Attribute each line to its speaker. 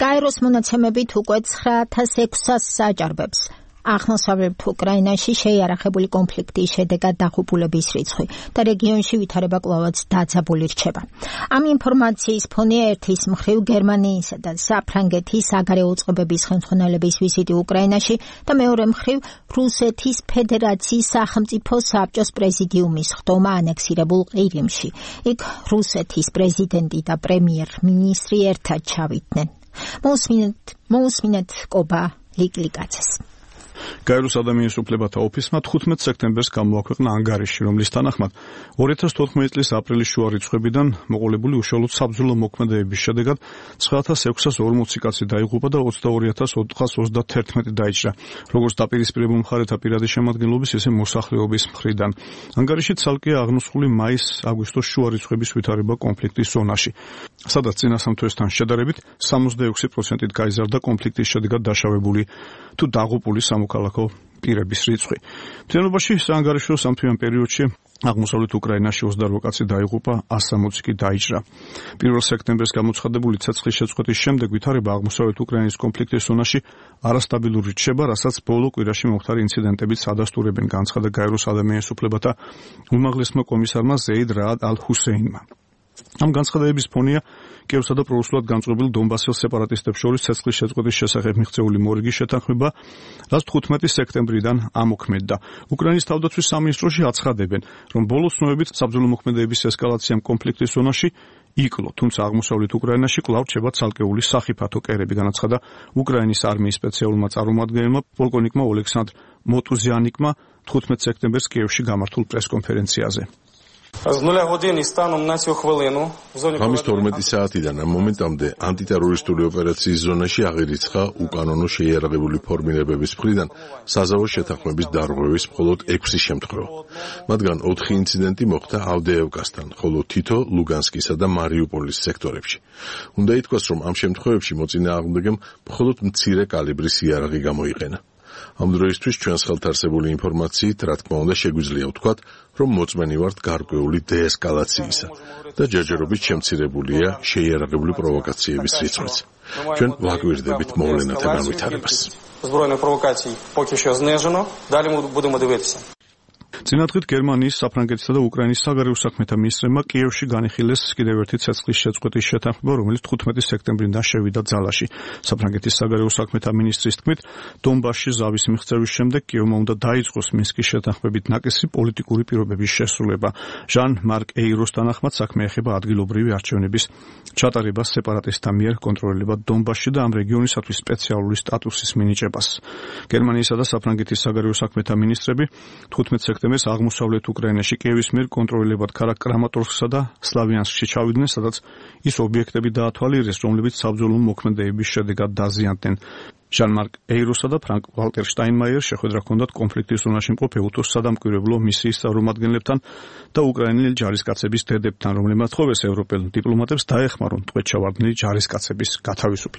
Speaker 1: კაიროს მონაცემებით უკვე 9600 საჯარბებს აღმოსავლეთ უკრაინაში შეიარაღებული კონფლიქტის შედეგად დაღუპულების რიცხვი და რეგიონში ვითარება კვლავაც დაძაბული რჩება. Ამ ინფორმაციის ფონია ერთის მხრივ გერმანიისა და საფრანგეთის საგარეო უწყებების ხელმძღვანელების ვიზიტი უკრაინაში და მეორე მხრივ რუსეთის ფედერაციის სახელმწიფო საბჭოს პრეზიდიუმის ხდომა ანექსირებულ ყირიმში. იქ რუსეთის პრეზიდენტი და პრემიერ-მინისტრი ერთად ჩავიდნენ. მოусმინეთ კობა ლიკლიკაცეს.
Speaker 2: კაიროს ადამიანის უფლებათა ოფისმა 15 სექტემბერს გამოაქვეყნა ანგარიში, რომლის თანახმად 2014 წლის აპრილის შუა რიცხვებიდან მოყოლებული უშუალოდ საბრძოლო მოქმედებების შედეგად 9640 კაცი დაიღუპა და 22431 დაიჭრა, როგორც დაპირისპირებულ მხარეთა პირადი შემადგენლობის, ისე მოსახლეობის მხრიდან. ანგარიში ცალკეა აღნუსხული მაის-აგვისტოს შუა რიცხვების ვითარება კონფლიქტის ზონაში, სადაც წინა სამთვესთან შედარებით 66%-ით გაიზარდა კონფლიქტის შედეგად დაშავებული თუ დაღუპული სამოქალაქო პირების რიცხვი. მთლიანობაში საანგარიშო სამთვიან პერიოდში აღმოსავლეთ უკრაინაში 28 კაცი დაიღუპა, 160 კი დაიჭრა. 1 სექტემბერს გამოცხადებული ცეცხლის შეწყვეტის შემდეგ ვითარება აღმოსავლეთ უკრაინის კონფლიქტის ზონაში არასტაბილური რჩება, რასაც ბოლო კვირაში მომხდარი ინციდენტებიც ადასტურებენ, განცხადა კაიროს ადამიანის უფლებათა უმაღლესმა კომისარმა ზეიდ რაად ალ-ჰუსეინმა. ამ განცხადებების ფონია კიევსა და პრორუსულად განწყობილ დონბასის სეპარატისტებს შორის ცეცხლის შეწყვეტის შესახებ მიღწეული მორიგი შეთანხმება, რაც 15 სექტემბრიდან ამოქმედდა. უკრაინის თავდაცვის სამინისტროში აცხადებენ, რომ ბოლო ცნობებით საბრძოლო მოქმედებების ესკალაციამ კონფლიქტის ზონაში იკლო, თუმცა აღმოსავლეთ უკრაინაში კვლავ რჩება ცალკეული სახიფათო კერები, განაცხადა უკრაინის არმიის სპეციალურმა წარმომადგენელმა პოლკოვნიკმა ოლექსანდრ მოტუზიანიკმა 15 სექტემბერს კიევში გამართულ პრესკონფერენციაზე.
Speaker 3: ღამის 12 საათიდან ამ მომენტამდე ანტიტერორისტული ოპერაციის ზონაში აღირიცხა უკანონო შეიარაღებული ფორმირებების მხრიდან საზავო შეთანხმების დარღვევის მხოლოდ 6 შემთხვევა. მათგან 4 ინციდენტი მოხდა ავდეევკასთან, ხოლო თითო ლუგანსკისა და მარიუპოლის სექტორებში. უნდა ითქვას, რომ ამ შემთხვევებში მოწინააღმდეგემ მხოლოდ მცირე კალიბრის იარაღი გამოიყენა. ამ დროისთვის ჩვენს ხელთ არსებული ინფორმაციით, რა თქმა უნდა, შეგვიძლია ვთქვათ, რომ მოწმენი ვართ გარკვეული დეესკალაციისა და ჯერჯერობით შემცირებულია შეიარაღებული პროვოკაციების რიცხვიც. ჩვენ ვაკვირდებით მოვლენათა განვითარებას.
Speaker 2: წინადღით გერმანიის, საფრანგეთისა და უკრაინის საგარეო საქმეთა მინისტრებმა კიევში განიხილეს კიდევ ერთი ცეცხლის შეწყვეტის შეთანხმება, რომელიც 15 სექტემბრიდან შევიდა ძალაში. საფრანგეთის საგარეო საქმეთა მინისტრის თქმით, დონბასში ზავის მიღწევის შემდეგ კიევმა უნდა დაიწყოს მინსკის შეთანხმებით ნაკისი პოლიტიკური პირობების შესრულება. ჟან-მარკ ეიროს თანახმად საქმე ეხება ადგილობრივი არჩევნების ჩატარებას სეპარატისტთა მიერ კონტროლირებად დონბასში და ამ რეგიონისათვის სპეციალური სტატუსის მინიჭებას. გერმანიისა და საფრანგეთის საგარეო საქმეთა მინისტრები 15 სექტემბერს აღმოსავლეთ უკრაინაში კიევის მიერ კონტროლირებად ქალაქ კრამატორსკსა და სლავიანსკში ჩავიდნენ, სადაც ის ობიექტები დაათვალიერეს, რომლებიც საბრძოლო მოქმედებების შედეგად დაზიანდნენ. ჟან-მარკ ეიროსა და ფრანკ ვალტერ შტაინმაიერს შეხვედრა ჰქონდათ კონფლიქტის ზონაში მყოფ უთოს სადამკვირვებლო მისიის წარმომადგენლებთან და უკრაინელი ჯარისკაცების დედებთან, რომლებმაც თხოვეს ევროპელ დიპლომატებს დაეხმარონ ტყვედ ჩავარდნილი ჯარისკაცების გათავისუფლება.